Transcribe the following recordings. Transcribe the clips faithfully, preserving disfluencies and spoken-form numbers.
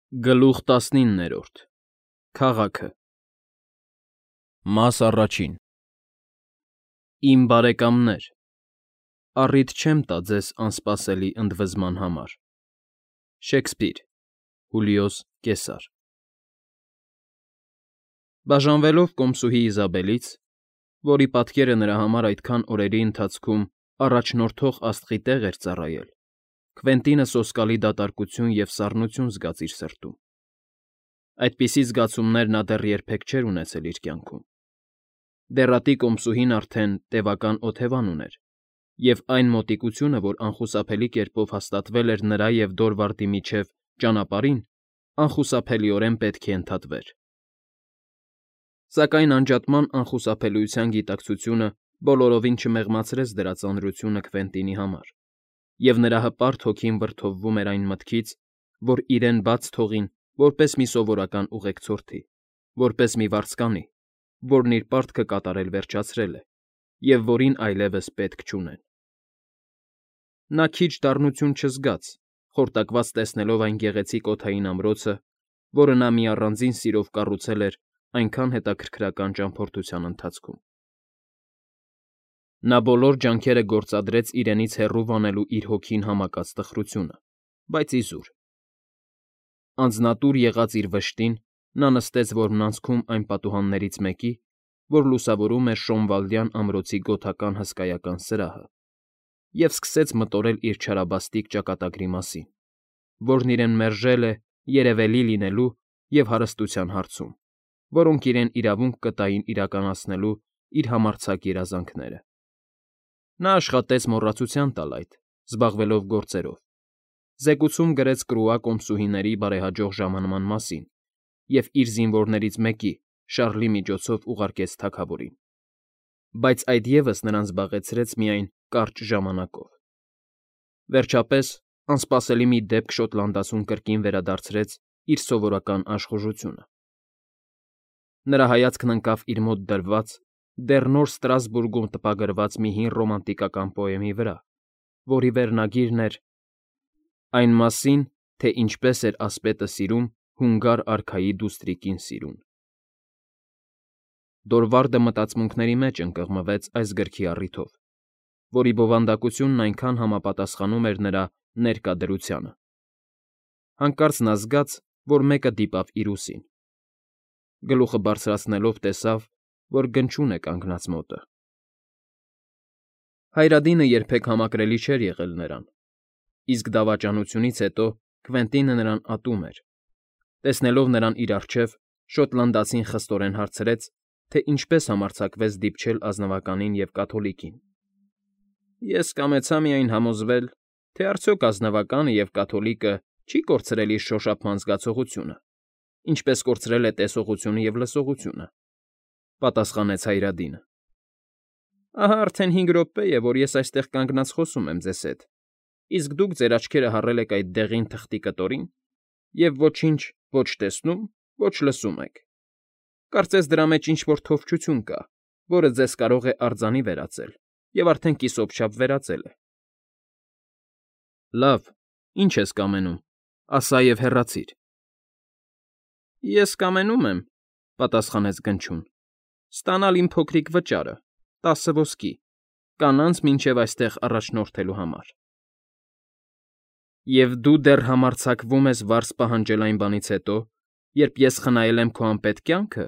Գլուխ տասնիններորդ Քաղաքը Մաս առաջին Իմ բարեկամներ, առիթ չեմ տա ձեզ անսպասելի ընդվզման համար։ Շեքսպիր, Հուլիոս Կեսար։ Բաժանվելով կոմսուհի Իզաբելից, որի պատկերը նրա համար այդքան օրերի ընթացքում առաջնորդող աստղի տեղ էր ծառայել, Քվենտինը սոսկալի դատարկություն և սառնություն զգաց իր սրտում։ Այդպիսի զգացումներ նա դեռ երբեք չէր ունեցել իր կյանքում։ Դեռատի կոմսուհին արդեն տևական օթևան ուներ, և այն մոտիկությունը, որ անխուսափելի կերպով հաստատվել էր նրա և Դորվարդի միջև ճանապարհին, անխուսափելիորեն պետք է ընդհատվեր։ Սակայն անջատման անխուսափելիության գիտակցությունը բոլորովին չմեղմացրեց դրա ծանրությունը Քվենտինի համար, և նրա հպարտ հոգին վրդովվում էր այն մտքից, որ իրեն բաց թողին որպես մի սովորական ուղեկցորդի, որպես մի վարձկանի, որն իր պարտքը կատարել վերջացրել է, և որին այլևս պետք չունեն։ Նա քիչ դառնություն չզգաց, խորտակված տեսնելով այն գեղեցիկ օդային ամրոցը, որը նա մի առանձին սիրով կառուցել էր այնքան հետաքրքրական ճամփորդության ընթացքում։ Նա բոլոր ջանքերը գործադրեց իրենից հեռու վանելու իր հոգին համակած տխրությունը, բայց իզուր։ Անձնատուր եղած իր վշտին՝ նա նստեց որմնանցքում այն պատուհաններից մեկի, որ լուսավորում էր Շոնվալդյան ամրոցի գոթական հսկայական սրահը, և սկսեց մտորել իր չարաբաստիկ ճակատագրի մասին, որն իրեն մերժել է երևելի լինելու և հարստության հարցում, որոնք իրեն իրավունք կտային իրականացնելու իր համարձակ երազանքները։ Նա աշխատեց մոռացության տալ այդ, զբաղվելով գործերով, զեկուցում գրեց Կրուա կոմսուհիների բարեհաջող ժամանման մասին և իր զինվորներից մեկի՝ Շարլի միջոցով ուղարկեց թագավորին, բայց այդ ևս նրան զբաղեցրեց միայն կարճ ժամանակով։ Վերջապես, անսպասելի մի դեպք Շոտլանդացուն կրկին վերադարձրեց իր սովորական աշխուժությունը։ Նրա հայացքն ընկավ իր մոտ դրված, դեռ նոր Ստրասբուրգում տպագրված մի հին ռոմանտիկական պոեմի վրա, որի վերնագիրն էր «Այն մասին, թե ինչպես էր ասպետը սիրում հունգար արքայի դուստրիկին սիրուն»։ Դորվարդը մտածմունքների մեջ ընկղմվեց այս գրքի առիթով, որի բովանդակությունն այնքան համապատասխանում էր նրա ներկա դրությանը։ Հանկարծ նա զգաց, որ մեկը դիպավ իր ուսին։ Գլուխը բարձրացնելով տեսավ, որ Գնչուն է կանգնած մոտը։ Հայրադինը երբեք համակրելի չէր եղել նրան, իսկ դավաճանությունից հետո Քվենտինը նրան ատում էր։ Տեսնելով նրան իր առջև, շոտլանդացին խստորեն հարցրեց, թե ինչպես համարձակվեց դիպչել ազնվականին և կաթոլիկին։ Ես կամեցա միայն համոզվել, թե արդյոք ազնվականը և կաթոլիկը չի կորցրել իր շոշափման զգացողությունը, ինչպես կորցրել է տեսողությունը և լսողությունը,֊ պատասխանեց Հայրադինը։ Ահա արդեն հինգ րոպե է, որ ես այստեղ կանգնած խոսում եմ ձեզ հետ, իսկ դուք ձեր աչքերը հառել եք այդ դեղին թղթի կտորին և ոչինչ ոչ տեսնում, ոչ լսում եք։ Կարծես դրա մեջ ինչ֊որ թովչություն կա, որը ձեզ կարող է արձանի վերածել և արդեն կիսոպչապ վերածել է։ Լավ, ինչ ես կամենում, ասա և հեռացիր։ Ես կամենում եմ,֊ պատասխանեց Գնչուն,֊ ստանալ իմ փոքրիկ վճարը՝ տասը ոսկի, կանանց մինչև այստեղ առաջնորդելու համար։ Եվ դու դեռ համարձակվում ես վարձ պահանջել այն բանից հետո, երբ ես խնայել եմ քո անպետք կյանքը,֊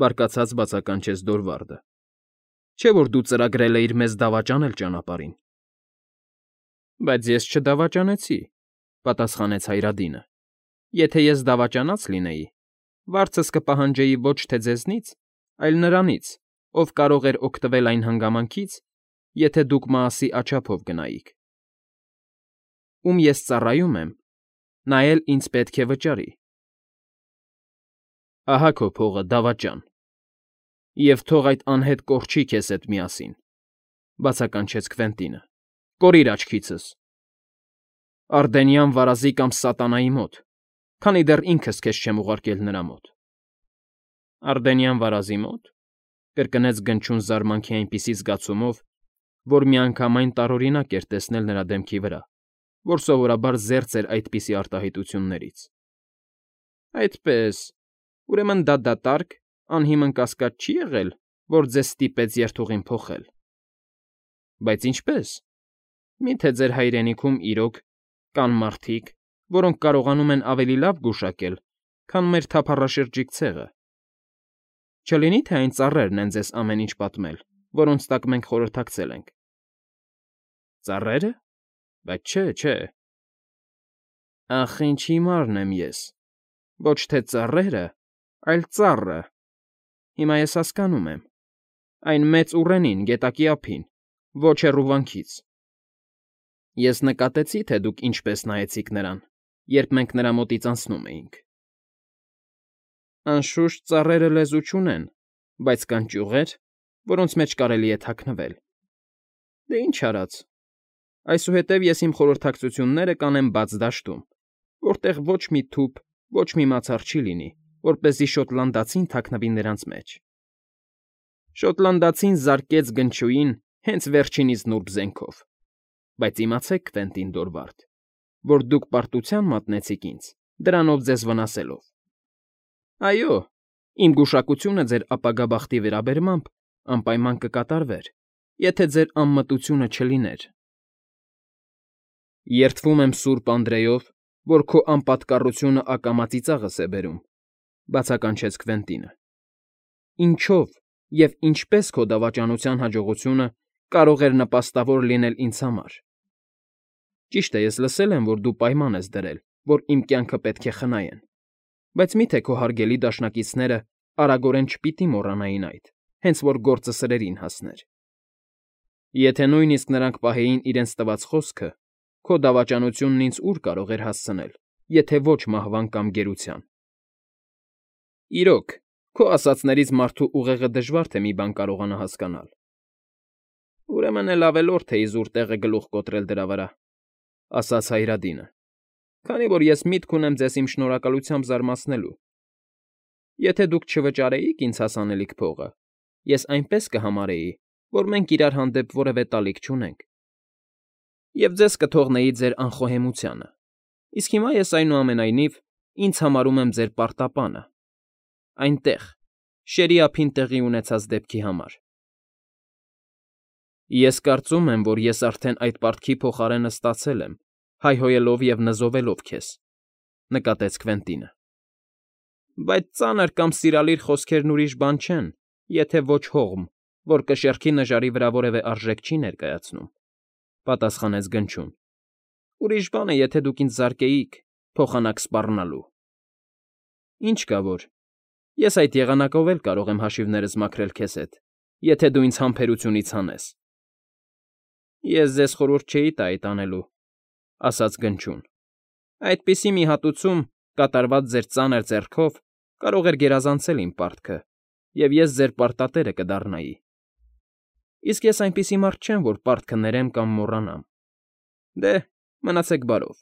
բարկացած բացականչեց Դորվարդը։֊ Չէ՞ որ դու ծրագրել էիր մեզ դավաճանել ճանապարհին։ Բայց ես չդավաճանեցի,֊ պատասխանեց Հայրադինը։ Եթե ես դավաճանած լինեի, վարձս կպահանջեի ոչ թե ձեզնից, այլ նրանից, ով կարող էր օգտվել այն հանգամանքից, եթե դուք Մաասի աչափով գնայիք։ Ում ես ծառայում եմ, նա էլ ինձ պետք է վճարի։ Ահա քո փողը, դավաճան։ Եվ թող այդ անհետ կորչի քեզ հետ միասին,֊ բացականչեց Քվենտինը։֊ Կորիր աչքիցս… Ардենյան վարազի կամ սատանայի մոտ, քանի դեռ ինքս քեզ չեմ ուղարկել նրա մոտ։ Ардենյան վարազի մո՞տ,֊ կրկնեց Գնչուն զարմանքի այնպիսի զգացումով, որ միանգամայն տարօրինակ էր տեսնել նրա դեմքի վրա, որ սովորաբար զերծ էր այդպիսի արտահայտություններից։ Այդպե՜ս, ուրեմն դա դատարկ, անհիմն կասկած չի՞ եղել, որ ձեզ ստիպեց երթուղին փոխել։ Բայց ինչպե՞ս։ Մի՞թե ձեր հայրենիքում իրոք կան մարդիկ, որոնք կարողանում են ավելի լավ գուշակել, քան մեր թափառաշրջիկ ցեղը։ Չլինի՞ թե այն ծառերն են ձեզ ամեն ինչ պատմել, որոնց տակ մենք խորհրդակցել ենք։ Ծառե՞րը։ Բայց չէ, չէ։ Ախ, ինչ հիմարն եմ ես, ոչ թե ծառերը, այլ ծառը։ Հիմա ես հասկանում եմ։ Այն մեծ ուռենին, գետակի ափին, ոչ հեռու վանքից։ Ես նկատեցի, թե դուք ինչպես նայեցիք նրան, երբ մենք նրա մոտից անցնում էինք։ Անշուշտ ծառերը լեզու չունեն, բայց կան ճյուղեր, որոնց մեջ կարելի է թաքնվել։ Դե ինչ արած։ Այսուհետև ես իմ խորհրդակցությունները կանեմ բաց դաշտում, որտեղ ոչ մի թուփ, ոչ մի մացառ չի լինի, որպեսզի շոտլանդացին թաքնվի նրանց մեջ։ Շոտլանդացին զարկեց գնչուին հենց վերջինիս նուրբ զենքով, բայց իմացեք, Քվենտին Դորվարդ, որ դուք պարտության մատնեցիք ինձ, դրանով ձեզ վնասելով։ Այո, իմ գուշակությունը ձեր ապագա բախտի վերաբերմամբ անպայման կկատարվեր, եթե ձեր անմտությունը չլիներ։ Երդվում եմ Սուրբ Անդրեով, որ քո անպատկառությունը ակամա ծիծաղս է բերում, բացականչեց Քվենտինը։ Ինչո՞վ և ինչպես քո դավաճանության հաջողությունը կարող էր նպաստավոր լինել ինձ համար։ Ճիշտ է, ես լսել եմ, որ դու պայման ես դրել, որ իմ կյանքը պետք է խնայեն, բայց մի՞թե քո հարգելի դաշնակիցները արագորեն չպիտի մոռանային այդ, հենց որ գործը սրերին հասներ։ Եթե նույնիսկ նրանք պահեին իրենց տված խոսքը, քո դավաճանությունն ինձ ուր կարող էր հասցնել, եթե ոչ մահվան կամ գերության։ Իրոք, քո ասածներից մարդու ուղեղը դժվար թե մի բան կարողանա հասկանալ։ Ուրեմն էլ ավելորդ է իզուր տեղը գլուխ կոտրել դրա վրա, ասաց Հայրադինը, քանի որ ես միտք ունեմ ձեզ իմ շնորհակալությամբ զարմացնելու։ Եթե դուք չվճարեիք ինձ հասանելիք փողը, ես այնպես կհամարեի, որ մենք իրար հանդեպ որևէ տալիք չունենք, և ձեզ կթողնեի ձեր անխոհեմությանը, իսկ հիմա ես, այնուամենայնիվ, ինձ համարում եմ ձեր պարտապանը, այնտեղ, շերի ափին տեղի ունեցած դեպքի համար։ Ես կարծում եմ, որ ես արդեն այդ պարտքի փոխարենը ստացել եմ, հայհոյելով և նզովելով քեզ, նկատեց Քվենտինը։ Բայց ծանր կամ սիրալիր խոսքերն ուրիշ բան չեն, եթե ոչ հողմ, որ կշեռքի նժարի վրա որևէ արժեք չի ներկայացնում, պատասխանեց Գնչուն։ Ուրիշ բան է, եթե դուք ինձ զարկեիք, փոխանակ սպառնալու։ Ինչ կա որ, ես այդ եղանակով էլ կարող եմ հաշիվներս մաքրել քեզ հետ, եթե դու ինձ համբերությունից հանես։ Ես ձեզ խորհուրդ չէի տա այդ անելու, ասաց Գնչուն։ Այդպիսի մի հատուցում, կատարված ձեր ծանր ձեռքով, կարող էր գերազանցել իմ պարտքը, և ես ձեր պարտատերը կդառնայի։ Իսկ ես այնպիսի մարդ չեմ, որ պարտքը ներեմ կամ մոռանամ։ Դե, մնացեք բարով։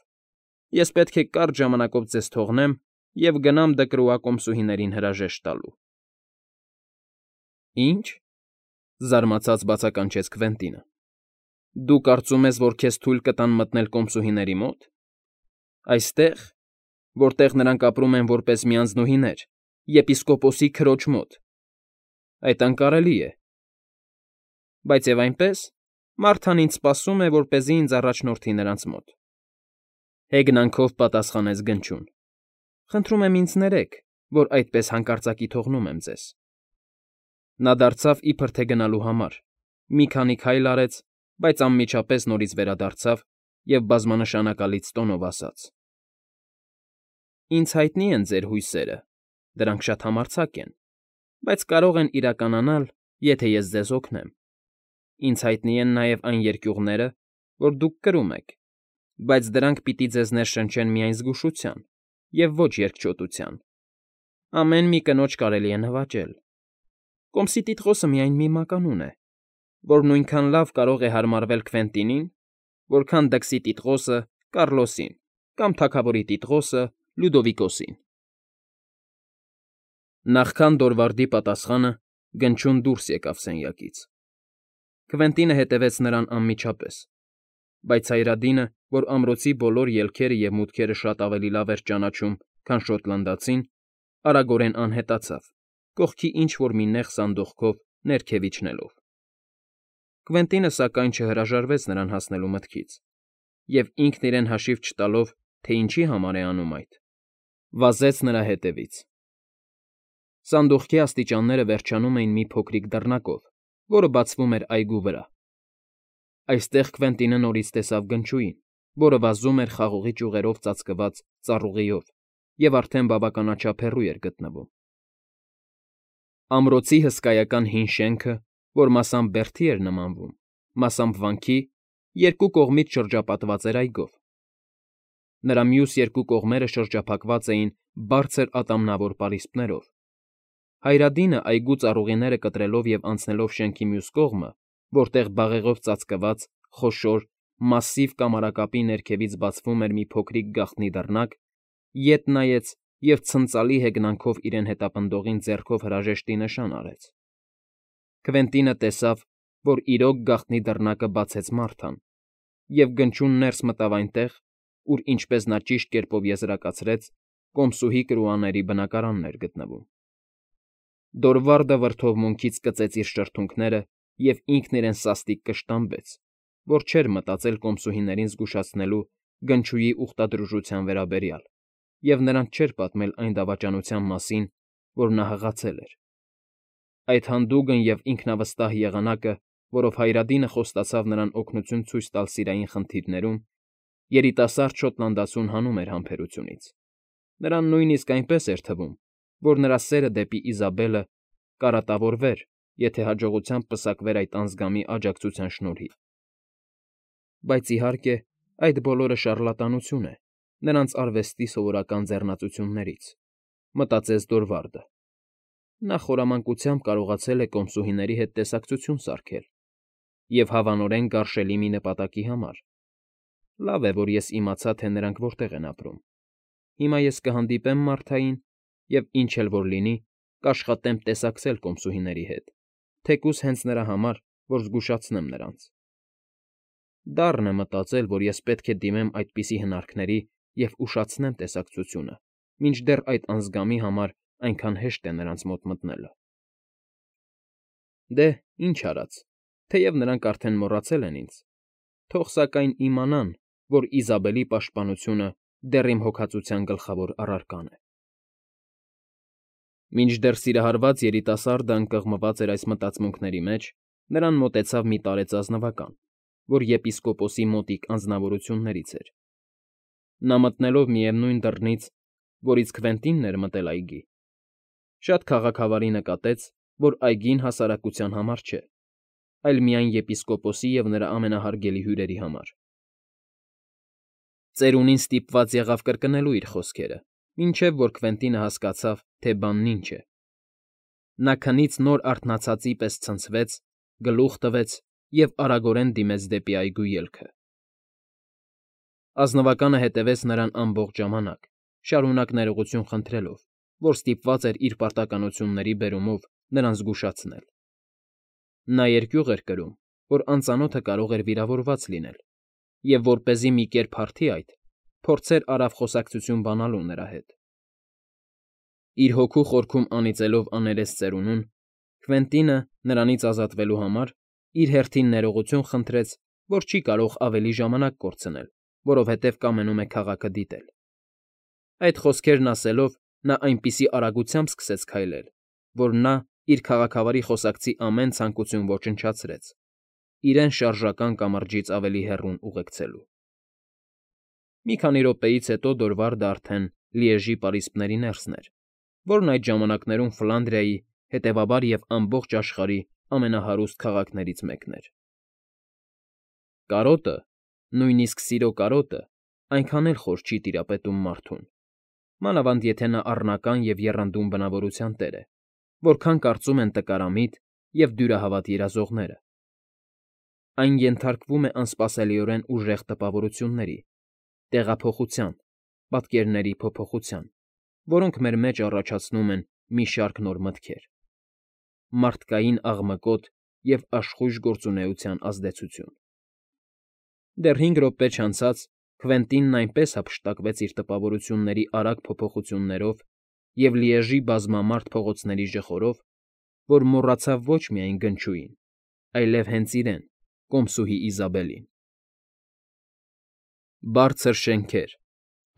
Ես պետք է կարճ ժամանակով ձեզ թողնեմ և գնամ դկրուակոմսուհիներին հրաժեշտ տալու։ Ի՞նչ,֊ զարմացած բացականչեց Քվենտինը։ Դու կարծում ես, որ քեզ թույլ կտան մտնել կոմսուհիների մոտ։ Այստեղ, որտեղ նրանք ապրում են որպես միանձնուհիներ, եպիսկոպոսի քրոջ մոտ։ Այդ անկարելի է։ Բայց և այնպես, Մարթան ինձ սպասում է, որպեսզի ինձ առաջնորդի նրանց մոտ։ Հեգնանքով պատասխանեց Գնչուն։ Խնդրում եմ ինձ ներեք, որ այդպես հանկարծակի թողնում եմ ձեզ։ Նա դարձավ իբր թե գնալու համար, մի քանի քայլ արեց, բայց անմիջապես նորից վերադարձավ և բազմանշանակալից տոնով ասաց. Ինձ հայտնի են ձեր հույսերը, դրանք շատ համարձակ են, բայց կարող են իրականանալ, եթե ես ձեզ օգնեմ։ Ինձ հայտնի են նաև այն երկյուղները, որ դուք կրում եք, բայց դրանք պիտի ձեզ ներշնչեն միայն զգուշության և ոչ երկչոտության։ Ամեն մի կնոջ կարելի է նվաճել։ Կոմսի տիտղոսը միայն մի մականուն է, որ նույնքան լավ կարող է հարմարվել Քվենտինին, որքան դքսի տիտղոսը Կառլոսին կամ թագավորի տիտղոսը Լյուդովիկոսին։ Նախքան Դորվարդի պատասխանը Գնչուն դուրս եկավ սենյակից։ Քվենտինը հետևեց նրան անմիջապես, բայց Հայրադինը, որ ամրոցի բոլոր ելքերը և մուտքերը շատ ավելի լավ էր ճանաչում, քան շոտլանդացին, արագորեն անհետացավ, կողքի ինչ֊որ մի նեղ սանդուղքով ներքև իջնելով։ Կվենտինը, սակայն, չհրաժարվեց նրան հասնելու մտքից և, ինքն իրեն հաշիվ չտալով, թե ինչի համար է անում այդ, վազեց նրա հետևից։ Սանդուղքի աստիճանները վերջանում էին մի փոքրիկ դռնակով, որը բացվում էր այգու վրա։ Այստեղ Կվենտինը նորից տեսավ գնչուին, որը վազում էր խաղողի ճյուղերով ծածկված ծառուղիով և արդեն բավականաչափ հեռու էր գտնվում։ Ամրոցի հսկայական հին շենքը, որ մասամբ բերդի էր նմանվում, մասամբ վանքի, երկու կողմից շրջապատված էր այգով։ Նրա մյուս երկու կողմերը շրջափակված էին բարձր ատամնավոր պարիսպներով։ Հայրադինը այգու ծառուղիները կտրելով և անցնելով շենքի մյուս կողմը, որտեղ բաղեղով ծածկված, խոշոր, մասսիվ կամարակապի ներքևից բացվում էր մի փոքրիկ գաղտնի դռնակ, ետ նայեց և ցնծալի հեգնանքով իրեն հետապնդողին ձեռքով հրաժեշտի նշան արեց։ Կվենտինը տեսավ, որ իրոք գաղտնի դռնակը բացեց մարդան, և գնչուն ներս մտավ այնտեղ, ուր, ինչպես նա ճիշտ կերպով եզրակացրեց, կոմսուհի կրուաների բնակարանն էր գտնվում։ Դորվարդը վրդովմունքից կծեց իր շրթունքները և ինքն իրեն սաստիկ կշտամբեց, որ չէր մտածել կոմսուհիներին զգուշացնելու գնչուի ուխտադրուժության վերաբերյալ և նրանց չէր պատմել այն դավաճանության մասին, որ նա հղացել էր։ Այդ հանդուգն և ինքնավստահ եղանակը, որով Հայրադինը խոստացավ նրան օգնություն ցույց տալ սիրային խնդիրներում, երիտասարդ շոտլանդացուն հանում էր համբերությունից։ Նրան նույնիսկ այնպես էր թվում, որ նրա սերը դեպի Իզաբելը կարատավորվեր, եթե հաջողությամբ պսակվեր այդ անձգամի աջակցության շնորհիվ։ Բայց, իհարկե, այդ բոլորը շառլատանություն է նրանց արվեստի սովորական ձեռնածություններից, մտածեց Դորվարդը։ Նա խորամանկությամբ կարողացել է կոմսուհիների հետ տեսակցություն սարքել և հավանորեն գարշելի մի նպատակի համար։ Լավ է, որ ես իմացա, թե նրանք որտեղ են ապրում։ Հիմա ես կհանդիպեմ Մարթային և, ինչ էլ որ լինի, կաշխատեմ տեսակցել կոմսուհիների հետ, թեկուզ հենց նրա համար, որ զգուշացնեմ նրանց։ Դառն է մտածել, որ ես պետք է դիմեմ այդպիսի հնարքների և ուշացնեմ տեսակցությունը, մինչդեռ այդ անձգամի համար այնքան հեշտ է նրանց մոտ մտնելը։ Դե, ինչ արած, թեև նրանք արդեն մոռացել են ինձ, թող սակայն իմանան, որ Իզաբելի պաշտպանությունը դեռ իմ հոգածության գլխավոր առարկան է։ Մինչդեռ սիրահարված երիտասարդը ընկղմված էր այս մտածմունքների մեջ, նրան մոտեցավ մի տարեց ազնվական, որ եպիսկոպոսի մոտիկ անձնավորություններից էր։ Նա մտնելով միևնույն դռնից, որից Քվենտինն էր մտել այգի, շատ քաղաքավարի նկատեց, որ այգին հասարակության համար չէ, այլ միայն եպիսկոպոսի և նրա ամենահարգելի հյուրերի համար։ Ծերունին ստիպված եղավ կրկնելու իր խոսքերը, մինչև որ Քվենտինը հասկացավ, թե բանն ինչ է։ Նա քնից նոր արթնացածի պես ցնցվեց, գլուխ տվեց և արագորեն դիմեց դեպի այգու ելքը։ Ազնվականը հետևեց նրան ամբողջ ժամանակ, շարունակ ներողություն խնդրելով, որ ստիպված էր իր պարտականությունների բերումով նրան զգուշացնել։ Նա երկյուղ էր կրում, որ անծանոթը կարող էր վիրավորված լինել, և որպեսզի մի կերպ հարթի այդ, փորձեր արավ խոսակցություն բանալու նրա հետ։ Իր հոգու խորքում անիծելով աներես ծերունուն, Քվենտինը, նրանից ազատվելու համար, իր հերթին ներողություն խնդրեց, որ չի կարող ավելի ժամանակ կորցնել, որովհետև կամենում է քաղաքը դիտել։ Այդ խոսքերն ասելով, նա այնպիսի արագությամբ սկսեց քայլել, որ նա իր քաղաքավարի խոսակցի ամեն ցանկություն ոչնչացրեց, իրեն շարժական կամրջից ավելի հեռուն ուղեկցելու։ Մի քանի րոպեից հետո Դորվարդը արդեն Լիեժի պարիսպների ներսն էր, որն այդ ժամանակներում Ֆլանդրիայի, հետևաբար և ամբողջ աշխարհի ամենահարուստ քաղաքներից մեկն էր։ Կարոտը, նույնիսկ սիրո կարոտը այնքան էլ խոր չի տիրապետում մարդուն, մանավանդ եթե նա առնական և եռանդուն բնավորության տեր է, որքան կարծում են տկարամիտ և դյուրահավատ երազողները։ Այն ենթարկվում է անսպասելիորեն ուժեղ տպավորությունների, տեղափոխության, պատկերների փոփոխության, որոնք մեր մեջ առաջացնում են մի շարք նոր մտքեր, մարդկային աղմկոտ և աշխույժ գործունեության ազդեցություն։ Դեռ հինգ րոպե չանցած Քվենտինն այնպես հափշտակվեց իր տպավորությունների արագ փոփոխություններով և Լիեժի բազմամարդ փողոցների ժխորով, որ մոռացավ ոչ միայն գնչուին, այլև հենց իրեն՝ կոմսուհի Իզաբելին։ Բարձր շենքեր,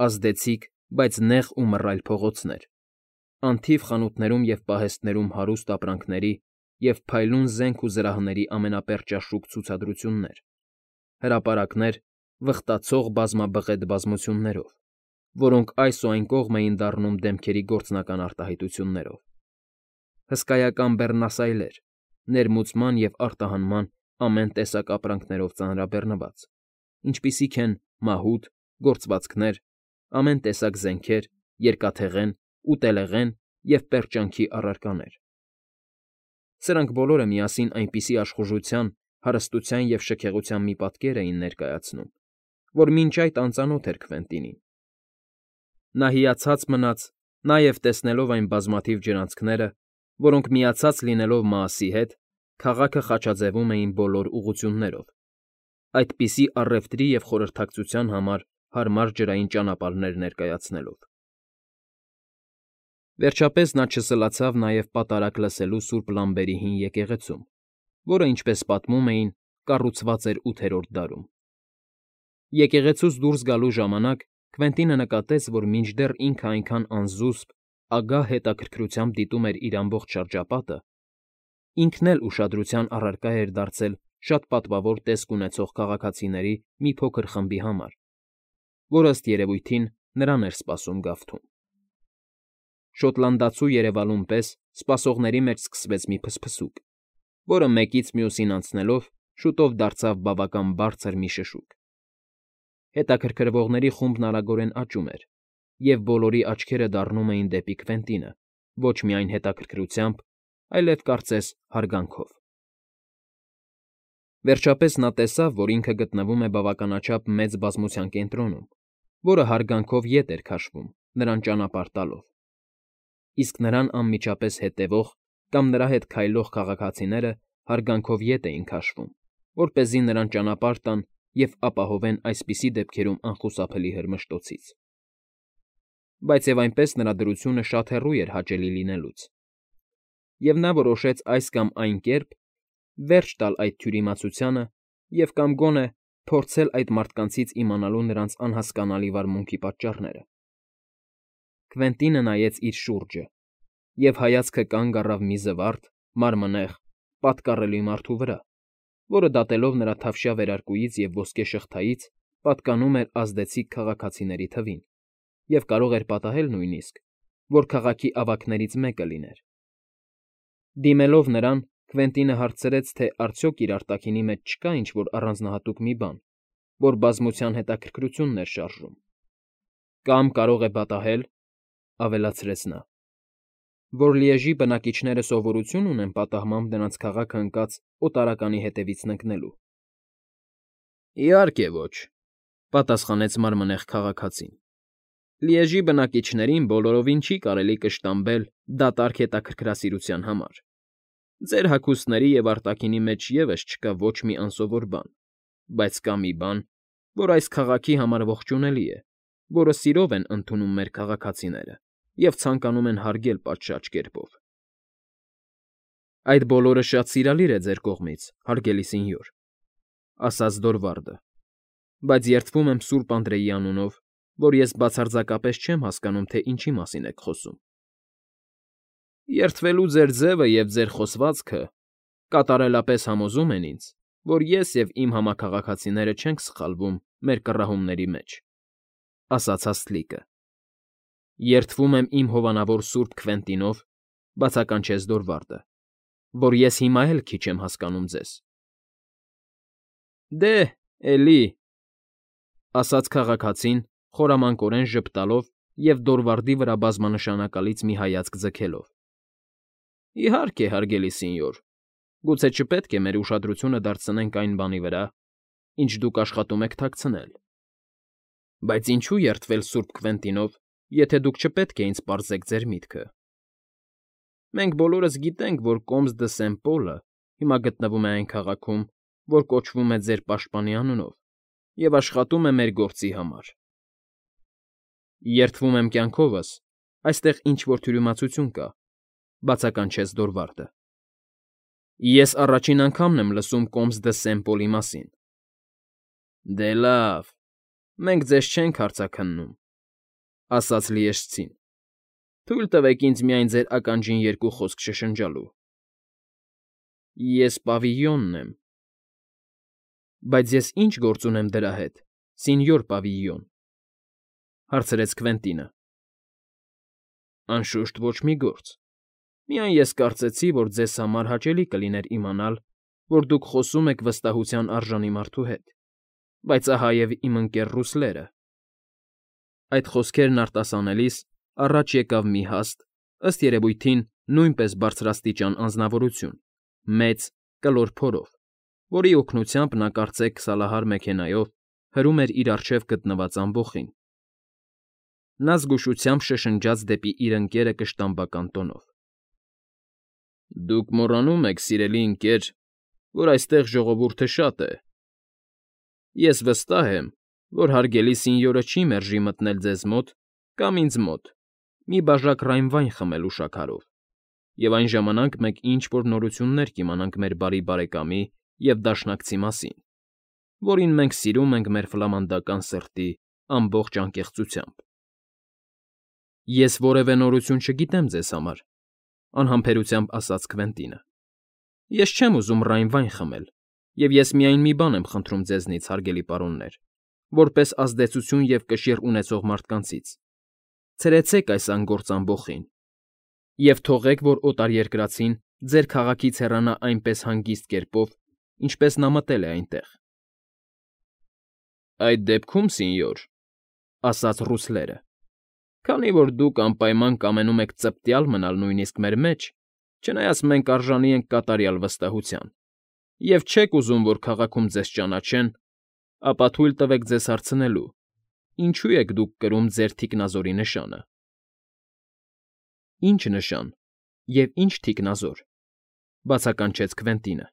ազդեցիկ, բայց նեղ ու մռայլ փողոցներ, անթիվ խանութներում և պահեստներում հարուստ ապրանքների և փայլուն զենք ու զրահների ամենապերճաշուք ցուցադրություններ, հրապարակներ վխտացող բազմաբղետ բազմություններով, որոնք այս ու այն կողմ էին դառնում դեմքերի գործնական արտահայտություններով, հսկայական բեռնասայլեր, ներմուծման և արտահանման ամեն տեսակ ապրանքներով ծանրաբեռնված, ինչպիսիք են մահութ, գործվածքներ, ամեն տեսակ զենքեր, երկաթեղեն, ուտելեղեն և պերճանքի առարկաներ։ Սրանք բոլորը միասին այնպիսի աշխուժության, հարստության և շքեղության մի պատկեր էին ներկայացնում, որ մինչ այդ անծանոթ էր Քվենտինին։ Նա հիացած մնաց, նաև տեսնելով այն բազմաթիվ ջրանցքները, որոնք, միացած լինելով Մաասի հետ, քաղաքը խաչաձևում էին բոլոր ուղղություններով, այդպիսի առևտրի և խորհրդակցության համար հարմար ջրային ճանապարհներ ներկայացնելով։ Վերջապես նա չսլացավ նաև պատարակ լսելու սուրբ Լամբերի հին եկեղեցում, որը, ինչպես պատմում էին, կառուցված էր ութերորդ դարում։ Եկեղեցուց դուրս գալու ժամանակ Քվենտինը նկատեց, որ մինչդեռ ինքը այնքան անզուսպ, ագահ հետաքրքրությամբ դիտում էր իր ամբողջ շրջապատը, ինքն էլ ուշադրության առարկա էր դարձել շատ պատվավոր տեսք ունեցող քաղաքացիների մի փոքր խմբի համար, որ, ըստ երևույթին, նրան էր սպասում գավթում։ Շոտլանդացու երևալուն պես սպասողների մեջ սկսվեց մի փսփսուկ, որը մեկից մյուսին անցնելով շուտով դարձավ բավական բարձր մի շշուկ։ Հետաքրքրվողների խումբն արագորեն աճում էր, և բոլորի աչքերը դառնում էին դեպի Քվենտինը ոչ միայն հետաքրքրությամբ, այլև, կարծես, հարգանքով։ Վերջապես նա տեսավ, որ ինքը գտնվում է բավականաչափ մեծ բազմության կենտրոնում, որը հարգանքով ետ էր քաշվում, նրան ճանապարհ տալով, իսկ նրան անմիջապես հետևող կամ նրա հետ քայլող քաղաքացիները հարգանքով ետ էին քաշվում, որպեսզի նրան ճանապարհ տան և ապահովեն այսպիսի դեպքերում անխուսափելի հրմշտոցից։ Բայց և այնպես նրա դրությունը շատ հեռու էր հաճելի լինելուց, և նա որոշեց այս կամ այն կերպ վերջ տալ այդ թյուրիմացությանը և կամ գոնե փորձել այդ մարդկանցից իմանալու նրանց անհասկանալի վարմունքի պատճառները։ Քվենտինը նայեց իր շուրջը և հայացքը կանգ առավ մի զվարթ, մարմնեղ, պատկառելի մարդու վրա, որը, դատելով նրա թավշյա վերարկուից և ոսկե շղթայից, պատկանում էր ազդեցիկ քաղաքացիների թվին և կարող էր պատահել նույնիսկ, որ քաղաքի ավագներից մեկը լիներ։ Դիմելով նրան, Քվենտինը հարցրեց, թե արդյոք իր արտաքինի մեջ չկա ինչ֊որ առանձնահատուկ մի բան, որ բազմության հետաքրքրությունն էր շարժում։ «Կամ կարող է պատահել,֊ ավելացրեց նա,֊ որ Լիեժի բնակիչները սովորություն ունեն պատահմամբ նրանց քաղաքը ընկած օտարականի հետևից ընկնելու»։ «Իհարկե ոչ,֊ պատասխանեց մարմնեղ քաղաքացին,֊ Լիեժի բնակիչներին բոլորովին չի կարելի կշտամբել դատարկ հետաքրքրասիրության համար։ Ձեր հագուստների և արտաքինի մեջ ևս չկա ոչ մի անսովոր բան, բայց կա մի բան, որ այս քաղաքի համար ողջունելի է, որը սիրով են ընդունում մեր քաղաքացիները և ցանկանում են հարգել պատշաճ կերպով»։ «Այդ բոլորը շատ սիրալիր է ձեր կողմից, հարգելի սենյոր,֊ ասաց Դորվարդը,֊ բայց երդվում եմ Սուրբ Անդրեի անունով, որ ես բացարձակապես չեմ հասկանում, թե ինչի մասին եք խոսում»։ «Երդվելու ձեր ձևը և ձեր խոսվածքը կատարելապես համոզում են ինձ, որ ես և իմ համաքաղաքացիները չենք սխալվում մեր կռահումների մեջ,֊ ասաց հասկլիկը։ «Երդվում եմ իմ հովանավոր Սուրբ Քվենտինով,֊ բացականչեց Դորվարդը,֊ որ ես հիմա էլ քիչ եմ հասկանում ձեզ»։ «Դե, էլի,֊ ասաց քաղաքացին, խորամանկորեն ժպտալով և Դորվարդի վրա բազմանշանակալից մի հայացք ձգելով,֊ Իհարկե, հարգելի սենյոր, գուցե չպետք է մեր ուշադրությունը դարձնենք այն բանի վրա, ինչ դուք աշխատում եք թաքցնել։ Բայց ինչո՞ւ երդվել Սուրբ Քվենտինով, եթե դուք չպետք է ինձ պարզեք ձեր միտքը։ Մենք բոլորս գիտենք, որ Կոմս դը Սեն Պոլը հիմա գտնվում է այն քաղաքում, որ կոչվում է ձեր պաշտպանի անունով, և աշխատում է մեր գործի համար։ Երդվում եմ կյանքովս, այստեղ ինչ֊որ թյուրիմացություն կա,֊ բացականչեց Դորվարդը։ Ես առաջին անգամն եմ լսում Կոմս դը Սենտ Պոլի մասին։ Դե լավ, մենք ձեզ չենք հարցաքննում,֊ ասաց լիեշտցին։ Թույլ տվեք ինձ միայն ձեր ականջին երկու խոսք շշնջալու։ Ես պավիլյոնն եմ։ Բայց ես ի՞նչ գործ ունեմ դրա հետ, սենյոր Պավիլյոն,֊ հարցրեց Քվենտինը։ Անշուշտ ոչ մի գործ։ Միայն ես կարծեցի, որ ձեզ համար հաճելի կլիներ իմանալ, որ դուք խոսում եք վստահության արժանի մարդու հետ, բայց ահա և իմ ընկեր ռուսլերը… Այդ խոսքերն արտասանելիս առաջ եկավ մի հաստ, ըստ երևույթին նույնպես բարձրաստիճան անձնավորություն, մեծ, կլոր փորով, որի օգնությամբ նա կարծեք քսալահար մեքենայով հրում էր իր առջև գտնված ամբոխին։ Նա զգուշությամբ շշնջաց դեպի իր ընկերը կշտամբական տոնով. Դուք մոռանում եք, սիրելի ընկեր, որ այստեղ ժողովուրդը շատ է։ Ես վստահ եմ, որ հարգելի սինյորը չի մերժի մտնել ձեզ մոտ կամ ինձ մոտ մի բաժակ ռայմ վայն խմել ուշաքարով, և այն ժամանակ մենք ինչ֊որ նորություններ կիմանանք մեր բարի բարեկամի և դաշնակցի մասին, որին մենք սիրում ենք մեր ֆլամանդական սրտի ամբողջ անկեղծությամբ։ Ես որևէ նորություն չգիտեմ ձեզ համար,֊ անհամբերությամբ ասաց Քվենտինը։ Ես չեմ ուզում ռայմ վայն խմել, և ես միայն մի բան եմ խնդրում ձեզնից, հարգելի պարոններ, որպես ազդեցություն և կշիռ ունեցող մարդկանցից. ցրեցեք այս անգործ ամբոխին և թողեք, որ օտարերկրացին ձեր քաղաքից հեռանա այնպես հանգիստ կերպով, ինչպես նա մտել է այնտեղ։ Այդ դեպքում, սենյոր,֊ ասաց ռուսլերը, քանի որ դուք անպայման կամենում եք ծպտյալ մնալ նույնիսկ մեր մեջ, չնայած մենք արժանի ենք կատարյալ վստահության, և չեք ուզում, որ քաղաքում ձեզ ճանաչեն, ապա թույլ տվեք ձեզ հարցնելու. ինչո՞ւ եք դուք կրում ձեր թիկնազորի նշանը։ Ի՞նչ նշան և ի՞նչ թիկնազոր,֊ բացականչեց Քվենտինը։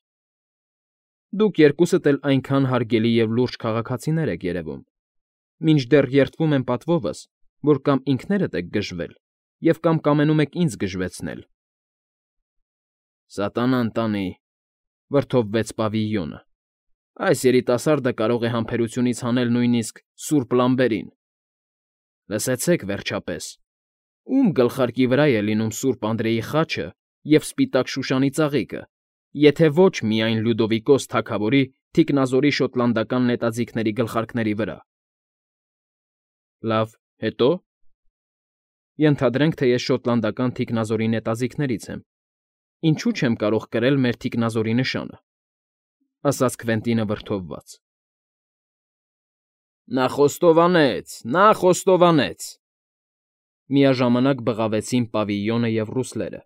Դուք երկուսդ էլ այնքան հարգելի և լուրջ քաղաքացիներ եք երևում, մինչդեռ երդվում եմ պատվովս, որ կամ ինքներդ եք գժվել և կամ կամենում եք ինձ գժվեցնել։ Սատանան տանի,֊ վրդովվեց Պավիլյոնը,֊ այս երիտասարդը կարող է համբերությունից հանել նույնիսկ սուրբ լամպերին։ Լսեցեք, վերջապես, ո՞ւմ գլխարկի վրա է լինում սուրբ Անդրեի խաչը և սպիտակ Շուշանի ծաղիկը, եթե ոչ միայն Լյուդովիկոս թագավորի թիկնազորի շոտլանդական նետաձիգների գլխարկների վրա։ Լավ, հետո՞։ Ենթադրենք, թե ես շոտլանդական թիկնազորի նետաձիգներից եմ, ինչո՞ւ չեմ կարող կրել մեր թիկնազորի նշանը,֊ ասաց Քվենտինը վրդովված։ Նա խոստովանեց, նա խոստովանեց,֊ միաժամանակ բղավեցին Պավիլյոնը և ռուսլերը,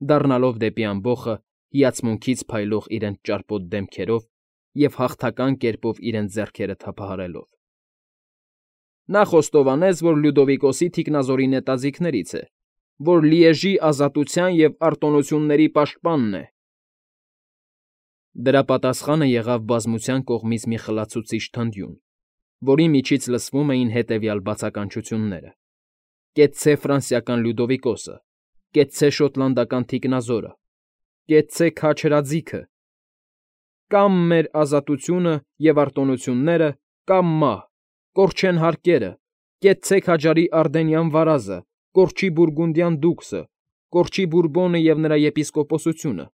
դառնալով դեպի ամբոխը հիացմունքից փայլող իրենց ճարպոտ դեմքերով և հաղթական կերպով իրենց ձեռքերը թափահարելով։ Նա խոստովանեց, որ Լյուդովիկոսի թիկնազորի նետաձիգներից է, որ Լիեժի ազատության և արտոնությունների պաշտպանն է։ Դրա պատասխանը եղավ բազմության կողմից մի խլացուցիչ թնդյուն, որի միջից լսվում էին հետևյալ բացականչությունները. Կեցցե ֆրանսիական Լյուդովիկոսը, կեցցե շոտլանդական թիկնազորը, կեցցե քաջ հրաձիգը, կամ մեր ազատությունը և արտոնությունները, կամ մահ, կորչեն հարկերը, կեցցե քաջարի Արդենյան վարազը, կորչի Բուրգունդյան դուքսը, կորչի Բուրբոնը և նրա եպիսկոպոսությունը,